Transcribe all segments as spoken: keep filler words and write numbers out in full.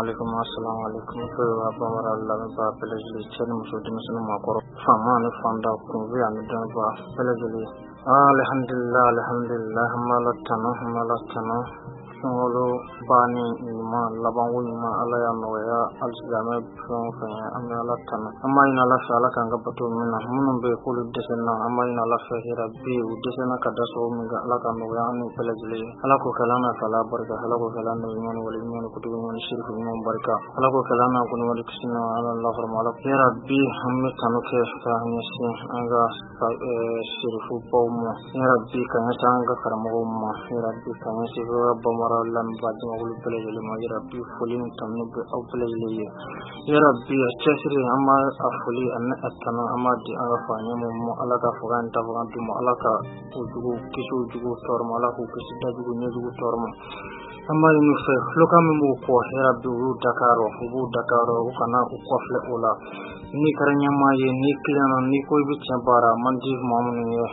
alaikum, assalamu alaikum. Fɛn bamanan lamɛnbaa bɛɛ lajɛlen, cɛ ni muso, denmisɛnnin, maakɔrɔ, faama ani fanda, kunfi ani dɔnniba bɛɛ lajɛlen. Alhamdulillah, alhamdulillah, an b'Ala tanu, an b'Ala tanu. Sunkalo banni ɲuman, labanko ɲuman, Ala y'a nɔgɔya alisilamɛ fɛn o fɛn ye, an bɛ Ala tanu. An b'a ɲini Ala fɛ, Ala k'an ka bato min na. Minnu bɛ yen k'olu dɛsɛra, an b'a ɲini Ala fɛ, hɛrɛ bi u dɛsɛra ka da sababu min kan, Ala ka nɔgɔya an n'u bɛɛ lajɛlen ye. Ala k'o kɛla an n'a fɛ, Ala barika. Ala k'o kɛla an n'o ɲuman ni wale ɲuman ni kutubu ɲuman ni sirifu ɲuman barika. Ala k'o kɛla an n'a kɔni wale kisi na Ala lahɔrɔma Ala. Hɛrɛ bi an bɛ tanu kɛ ka ɲɛsin an ka sirifu baw ma. Hɛrɛ bi ka ɲɛsin an ka karamɔgɔw ma. Hɛrɛ bi ka ɲɛsin ka bamanan lamɛnbaa jamakulu bɛɛ lajɛlen ma. Hɛrɛ bi foli ni tanu bɛ aw bɛɛ lajɛlen ye. Hɛrɛ bi a cɛsiri, an b'a a foli ani a tanu, an b'a di an ka fa ɲɛmɔgɔw ma. Ala ka fanga ni tafaga d'u ma. Ala ka u jugu kisi u jugu tɔɔrɔ ma. Ala k'u kisi dajugu ɲɛjugu tɔɔrɔ ma. An b'a ɲini u fɛ, kulokan min b'u kɔ, hɛrɛ bi u y'u dakar, u b'u dakar, u kana u kɔfilɛ o la. N'i kɛra ɲɛmaa ye, n'i tilenna, n'i ko i bɛ tiɲɛ baara man di maa minnu ye,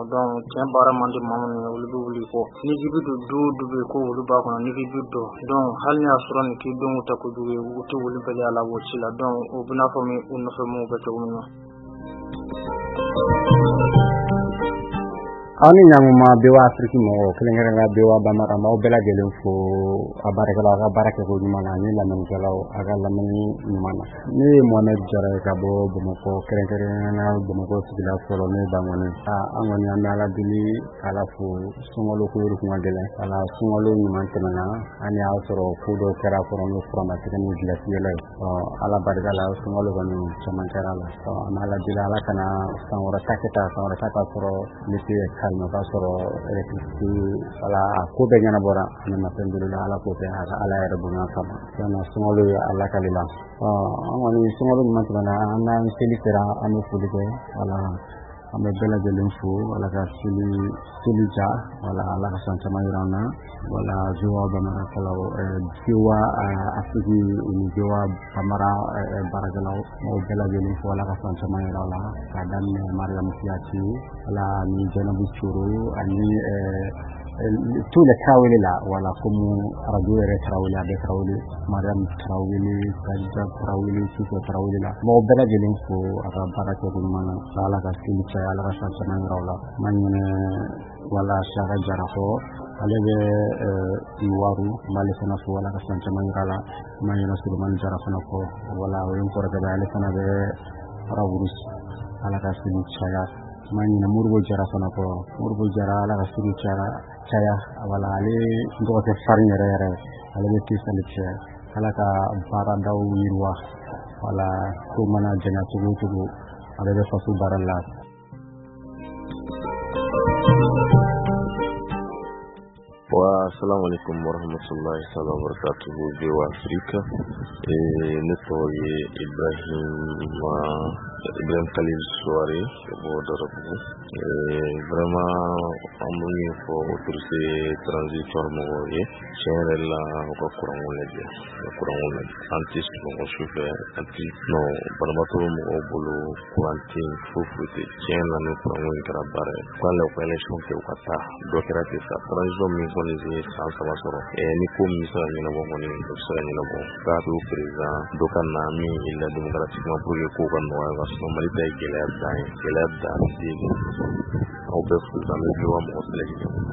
donc tiɲɛ baara man di maa minnu ye, olu bɛ wuli kɔ. N'i k'i bɛ don du o du bɛ yen ko olu b'a kɔnɔ, n'i k'i bɛ don, donc hali n'a y'a sɔrɔ nin k'i denw tɛ kojugu ye, u tɛ wuli bali a la o ci la. Donc o bɛ n'a fɔ min u nɔfɛ minnu bɛ cogo min na. Aw ni ɲankuma, V O A Afiriki mɔgɔw, kɛrɛnkɛrɛnnenya V O A Bambara, an b'aw bɛɛ lajɛlen fo a baarakɛlaw, a ka baara kɛko ɲuman na, ani lamɛnnikɛlaw, a ka lamɛnni ɲuman na. Ne ye Mohamed Jara ye ka bɔ Bamakɔ, kɛrɛnkɛrɛnnenya Bamakɔ sigida fɔlɔ, n'o ye Bankɔni. An kɔni an bɛ Ala deli k'Ala fo, sunkalo ko kun ka gɛlɛn. Wala sunkalo ɲuman tɛmɛna, an y'a sɔrɔ ko dɔw kɛra kɔrɔ, n'o furamasɛgɛ ni gilasi yɛlɛ ye. Ala barika la, sunkalo kɔni caman kɛra la. An bɛ Ala deli, Ala kana san wɛrɛ ta kɛ tan, san wɛrɛ ta k'a sɔrɔ l'été calme, k'a sɔrɔ électricité, wala a ko bɛɛ ɲɛnabɔra. An alhamdulillah, Ala k'o kɛ a ka Ala yɛrɛ bonya kama. Tiɲɛna, sunkalo ye a lakali la. An kɔni sunkalo ɲuman tɛmɛna, an n'an seli sera, an bɛ foli kɛ. Wala an bɛ bɛɛ lajɛlen fo, Ala ka seli seli ja, wala Ala ka san caman yira an na. Wala V O A Bamarakɛlaw, V O A Afiriki ni V O A Bambara baarakɛlaw, m'aw bɛɛ lajɛlen fo, Ala ka san caman yira aw la, k'a daminɛ Mariam Kuyate, wala ani Jɛnɛbu Coro, ani tous les Tarawele là, voilà, comme radio yɛrɛ Tarawele, a bɛ Tarawele, Mariam Tarawele, Kadija Tarawele, Sufɛ Tarawele la. M'aw bɛɛ lajɛlen fo a ka baara kɛko ɲuman na. Ala ka seli caya, Ala ka san caman yira aw la. N ma ɲinɛ wala Saka Jara kɔ, ale bɛ Iwaru, n b'ale fana fo, Ala ka san caman yira a la. N ma ɲinɛ Solomani Jara fana kɔ, wala o ye n kɔrɔkɛ ba ye, ale fana bɛ Raburus, Ala ka seli caya. N ma ɲinɛ Moribo Jara fana kɔ, Moribo Jara, Ala ka seli caya caya. Wala ale n dɔgɔkɛ farin yɛrɛ yɛrɛ, ale bɛ Tesali cɛ. Ala ka baaradaw yiriwa, wala ko mana janya cogo o cogo, ale bɛ faso baara la. Wa assalamu alaikum warahmatullahi ta'ala wabarakatuhu, V O A Afrique. Eh, ne tɔgɔ ye Ibrahim Ibrahim Khalil Souare ka bɔ Darabugu. Eh, vraiment an bɛ min fɔ autorité transitoire mɔgɔw ye, tiɲɛ yɛrɛ la, u ka kuranko lajɛ, u ka kuranko lajɛ. An tɛ sunɔgɔ su fɛ, an tɛ non banabaatɔ bɛ mɔgɔw bolo, kuran tɛ yen, foyi foyi tɛ. Tiɲɛ na, ni kuranko in kɛra baara ye, u k'a lajɛ u ka élection kɛ, u ka taa dɔ kɛra ten sa. Transition min kɔni ye san saba sɔrɔ, ni ko min bɛ se ka ɲɛnabɔ kɔni, o bɛ se ka ɲɛnabɔ. K'a to président dɔ ka na min élira démocratiquement pour que kow ka nɔgɔya ka sɔrɔ. Mali ta ye gɛlɛya dan ye, gɛlɛya dan den. Aw bɛɛ fo, an bɛ V O A mɔgɔ bɛɛ lajɛlen.